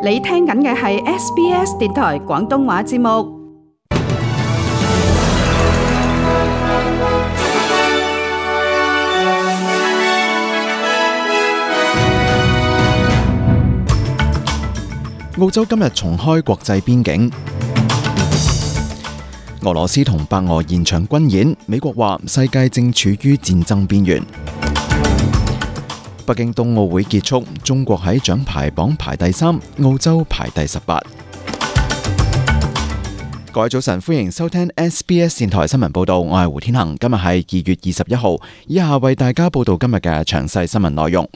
你聽緊嘅係 SBS 電台廣東話節目。澳洲今日重開國際邊境，俄羅斯同白俄延長軍演，美國話世界正處於戰爭邊緣。北京冬奧會結束，中國喺獎牌榜排第3，澳洲排第18。各位早晨，歡迎收聽 SBS 電台新聞報道，我係胡天恒。今日係2月21號，以下為大家報道今日嘅詳細新聞內容。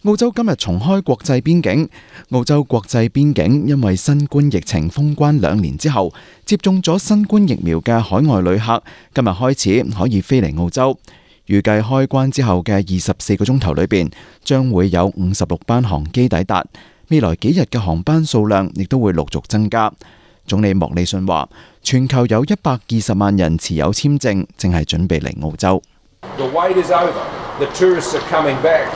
澳洲今日重開國際邊境。澳洲國際邊境因為新冠疫情封關2年之後，接種咗新冠疫苗嘅海外旅客今日開始可以飛嚟澳洲。預計開關之後嘅24個鐘頭裏邊，將會有56班航機抵達。未來幾日嘅航班數量亦都會陸續增加。總理莫里遜話，全球有120萬人持有簽證，正係準備嚟澳洲。The wait is over. The tourists are coming back.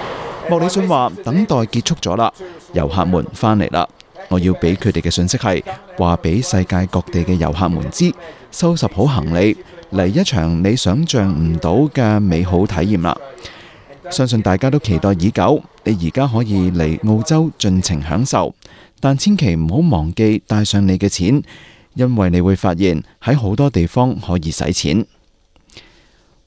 莫里遜話，等待結束咗啦，遊客們返嚟啦。我要俾佢哋嘅信息係話俾世界各地嘅遊客們知，收拾好行李，嚟一場你想象唔到嘅美好體驗啦！相信大家都期待已久，你而家可以嚟澳洲盡情享受，但千祈唔好忘記帶上你嘅錢，因為你會發現喺好多地方可以使錢。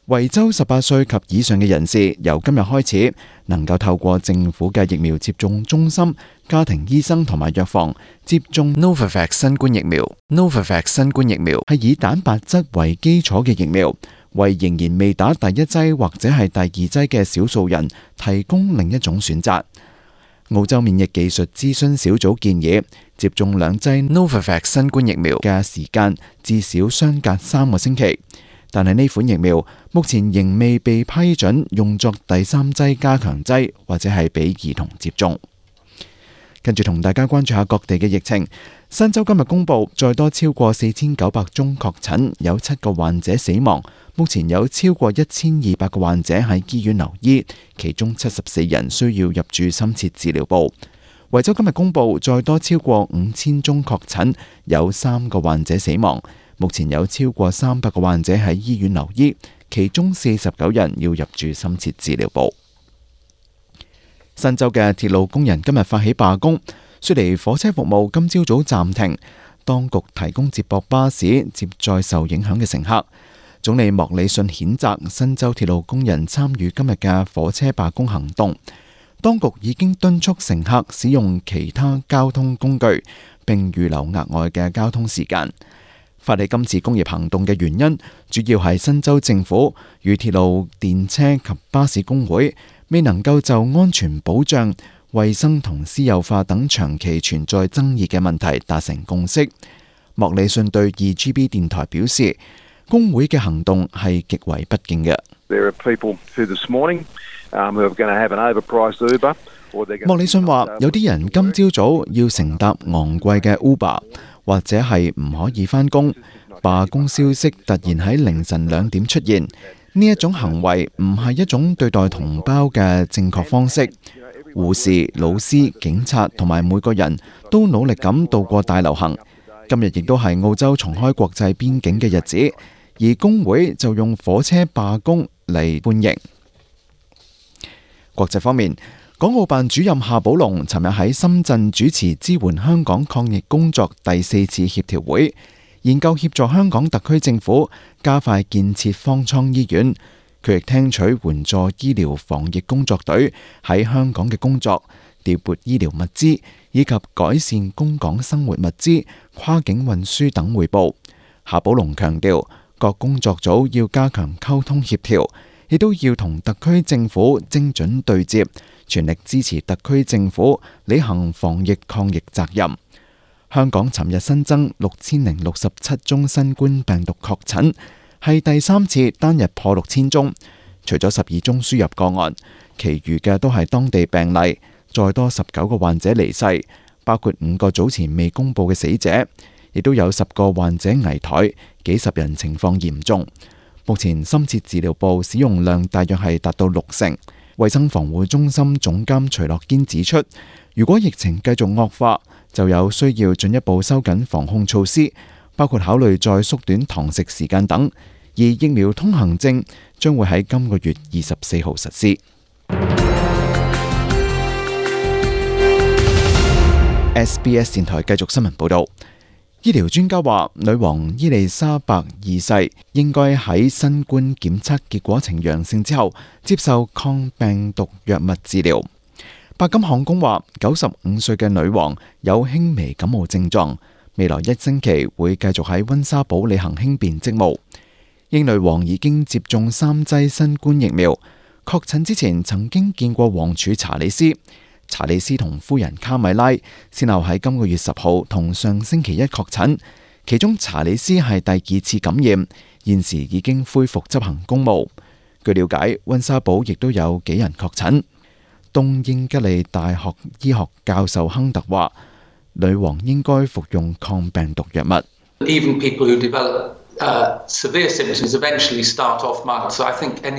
維州18歲及以上嘅人士由今日開始能夠透過政府嘅疫苗接種中心、家庭醫生同埋藥房接種 Novavax 新冠疫苗。Novavax 新冠疫苗係以蛋白質為基礎嘅疫苗，為仍然未打第1劑或者係第2劑嘅少數人提供另一種選擇。澳洲免疫技術諮詢小組建議接種2劑 Novavax 新冠疫苗嘅時間至少相隔3個星期。但係呢款疫苗目前仍未被批准用作第3劑加強劑，或者係俾兒童接種。跟住同大家關注下各地嘅疫情。新州今日公布再多超過4900宗確診，有7個患者死亡。目前有超過1200個患者喺醫院留醫，其中74人需要入住深切治療部。維州今日公布再多超過5000宗確診，有3個患者死亡。目前有超過300個患者喺醫院留醫，其中49人要入住深切治療部。新州嘅鐵路工人今日發起罷工，雪梨火車服務今朝早暫停，當局提供接駁巴士接載受影響嘅乘客。總理莫里遜譴責新州鐵路工人參與今日嘅火車罷工行動，當局已經敦促乘客使用其他交通工具，並預留額外嘅交通時間。發起今次工業行動嘅原因，主要係新州政府與鐵路、電車及巴士工會未能夠就安全保障、衛生同私有化等長期存在爭議嘅問題達成共識。莫里遜對 2GB 電台表示，工會嘅行動係極為不敬嘅。莫里遜話，有啲人今朝早要乘搭昂貴嘅 Uber，或者係唔可以返工。罷工消息突然喺凌晨2點出現，呢一種行為唔係一種對待同胞嘅正確方式。護士、老師、警察同埋每個人都努力咁度過大流行。今日亦都係澳洲重開國際邊境嘅日子，而工會就用火車罷工嚟歡迎。國際方面，港澳辦主任夏寶龍尋日喺深圳主持支援香港抗疫工作第4次協調會，研究協助香港特區政府加快建設方艙醫院。佢亦聽取援助醫療防疫工作隊喺香港嘅工作，調撥醫療物資以及改善供港生活物資、跨境運輸等匯報。夏寶龍強調，各工作組要加強溝通協調，亦都要同特區政府精準對接，全力支持特區政府履行防疫抗疫責任。香港尋日新增6067宗新冠病毒確診，係第3次單日破6000宗。除咗12宗輸入個案，其餘嘅都係當地病例。再多19個患者離世，包括5個早前未公布嘅死者，亦都有10個患者危殆，幾十人情況嚴重。目前深切治療部使用量大約係達到60%。衛生防護中心總監徐樂堅指出，如果疫情繼續惡化，就有需要進一步收緊防控措施，包括考慮再縮短堂食時間等。而疫苗通行證將會喺今個月24號實施。SBS 電台繼續新聞報導。醫療專家話，女王伊麗莎白二世應該喺新冠檢測結果呈陽性之後接受抗病毒藥物治療。白金漢宮話，95歲嘅女王有輕微感冒症狀，未來1星期會繼續喺溫莎堡履行輕便職務。英女王已經接種3劑新冠疫苗，確診之前曾經見過王儲查理斯。查理斯同夫人卡米拉先後喺今個月10號同上星期1確診，其中查理斯係第2次感染，現時已經恢復執行公務。據了解，溫莎堡亦都有幾人確診。東英吉利大學醫學教授亨特話，女王應該服用抗病毒藥物。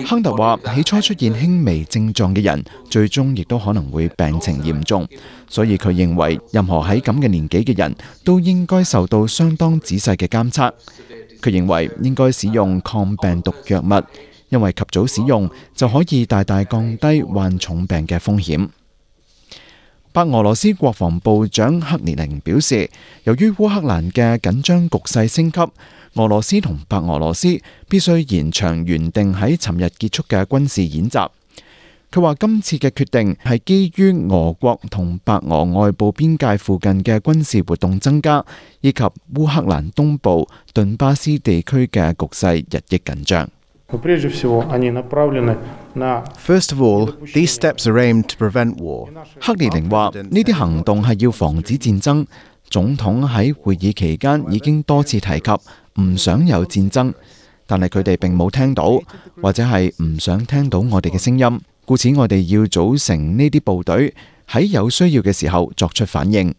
亨特話，起初出現輕微症狀嘅人，最終亦都可能會病情嚴重，所以佢認為任何喺咁嘅年紀嘅人都應該受到相當仔細嘅監測。佢認為應該使用抗病毒藥物，因為及早使用就可以大大降低患重病嘅風險。白俄羅斯國防部長克列寧表示，由於烏克蘭嘅緊張局勢升級，俄羅斯同白俄羅斯必須延長原定喺尋日結束嘅軍事演習。佢話今次嘅決定係基於俄國同白俄外部邊界附近嘅軍事活動增加，以及烏克蘭東部頓巴斯地區嘅局勢日益緊張。First of all, these steps are aimed to prevent war. 克列寧話呢啲行動係要防止戰爭。總統喺會議期間已經多次提及唔想有戰爭，但係佢哋並冇聽到，或者係唔想聽到我哋嘅聲音，故此我哋要組成呢啲部隊，喺有需要嘅時候作出反應。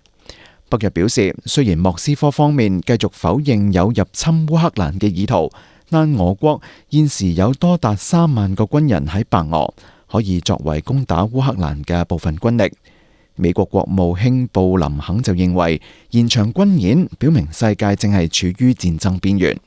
北約表示，雖然莫斯科方面繼續否認有入侵烏克蘭嘅意圖，但俄國現時有多達3萬個軍人喺白俄，可以作為攻打烏克蘭嘅部分軍力。美國國務卿布林肯就認為，現場軍演表明世界正係處於戰爭邊緣。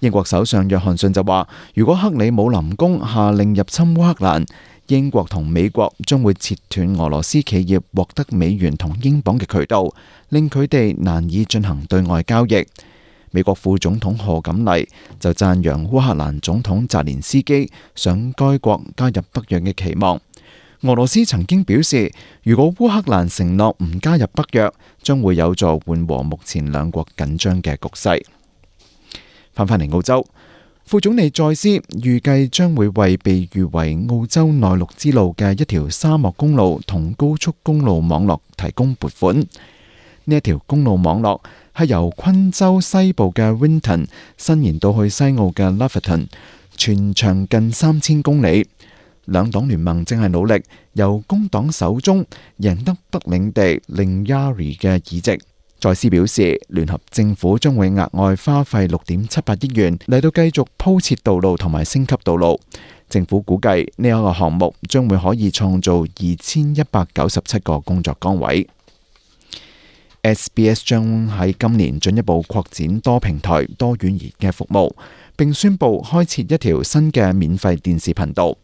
英國首相約翰遜就話，如果克里姆林宮下令入侵烏克蘭，英國同美國將會切斷俄羅斯企業獲得美元同英鎊嘅渠道，令佢哋難以進行對外交易。美國副總統賀錦麗就讚揚烏克蘭總統澤連斯基想該國加入北約嘅期望。俄羅斯曾經表示，如果烏克蘭承諾唔加入北約，將會有助緩和目前兩國緊張嘅局勢。翻返嚟澳洲，副總理再斯預計將會為被譽為澳洲內陸之路嘅一條沙漠公路同高速公路網絡提供撥款。呢一條公路網絡係由昆州西部嘅 Winton 伸延到去西澳嘅 Laverton， 全長近3000公里。兩黨聯盟正係努力由工黨手中贏得北領地令 Yari 嘅議席。再斯表示，聯合政府將會額外花費6.78億元嚟到繼續鋪設道路同埋升級道路。政府估計呢一個項目將會可以創造2197個工作崗位。SBS 將喺今年進一步擴展多平台多語言嘅服務，並宣布開設一條新嘅免費電視頻道。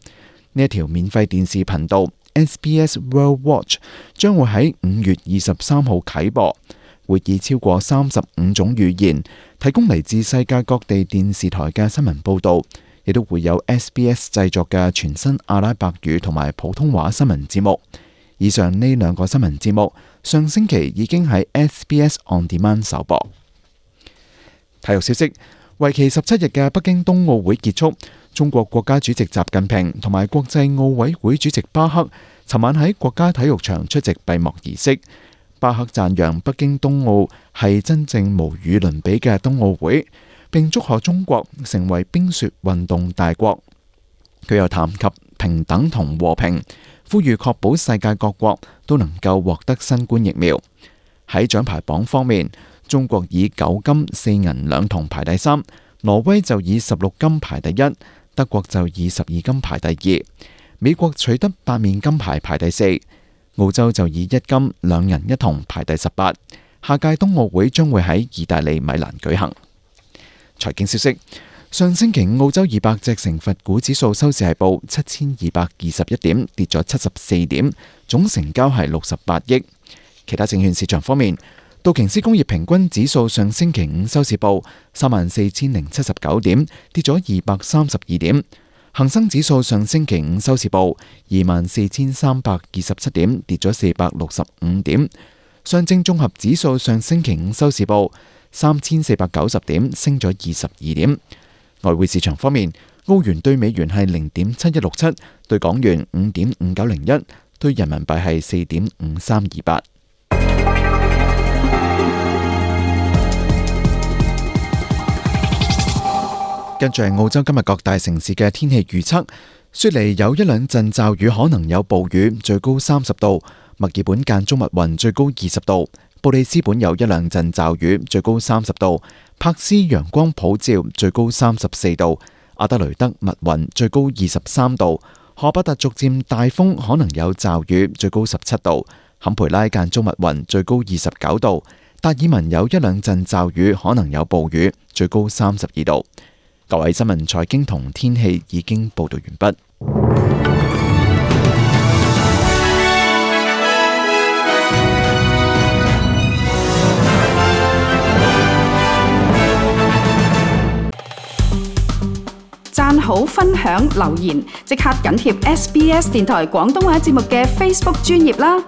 呢一條免費電視頻道 SBS World Watch 將會喺5月23號啟播，會以超過35種語言提供嚟自世界各地電視台嘅新聞報導，亦都會有 SBS 製作嘅全新阿拉伯語同埋普通話新聞節目。以上呢兩個新聞節目上星期已經喺 SBS On Demand 首播。體育消息，為期17日嘅北京冬奧會結束，中國國家主席習近平同埋國際奧委會主席巴克尋晚喺國家體育場出席閉幕儀式。巴克讚揚北京冬奧係真正無與倫比嘅冬奧會，並祝賀中國成為冰雪運動大國。佢又談及平等同和平，呼籲確保世界各國都能夠獲得新冠疫苗。喺獎牌榜方面，中國以9金4銀2銅排第3，挪威就以16金排第1，德國就以12金排第2，美國取得8面金牌排第4。澳洲就以1金2銀1銅排第18。下屆冬奧會將會喺意大利米蘭舉行。財經消息，上星期澳洲200隻成分股指數收市係報7221點，跌咗74點，總成交係68億。其他證券市場方面，道瓊斯工業平均指數上星期五收市報34,079點，跌咗232點。恒生指數上星期五收市報24,327點，跌咗465點。上證綜合指數上星期五收市報3,490點，升咗22點。外匯市場方面，澳元對美元係0.7167，對港元5.5901，對人民幣係4.5328。跟住係澳洲今日各大城市嘅天氣預測：雪梨有1兩陣驟雨，可能有暴雨，最高30度；墨爾本間中密雲，最高20度；布里斯本有1兩陣驟雨，最高30度；柏斯陽光普照，最高34度；阿德雷德密雲，最高23度；荷伯特逐漸大風，可能有驟雨，最高17度；坎培拉間中密雲，最高29度；達爾文有1兩陣驟雨，可能有暴雨，最高32度。各位新聞、財經同天氣已經報道完畢。讚好、分享、留言，即刻緊貼SBS 電台廣東話節目嘅 Facebook 專頁啦！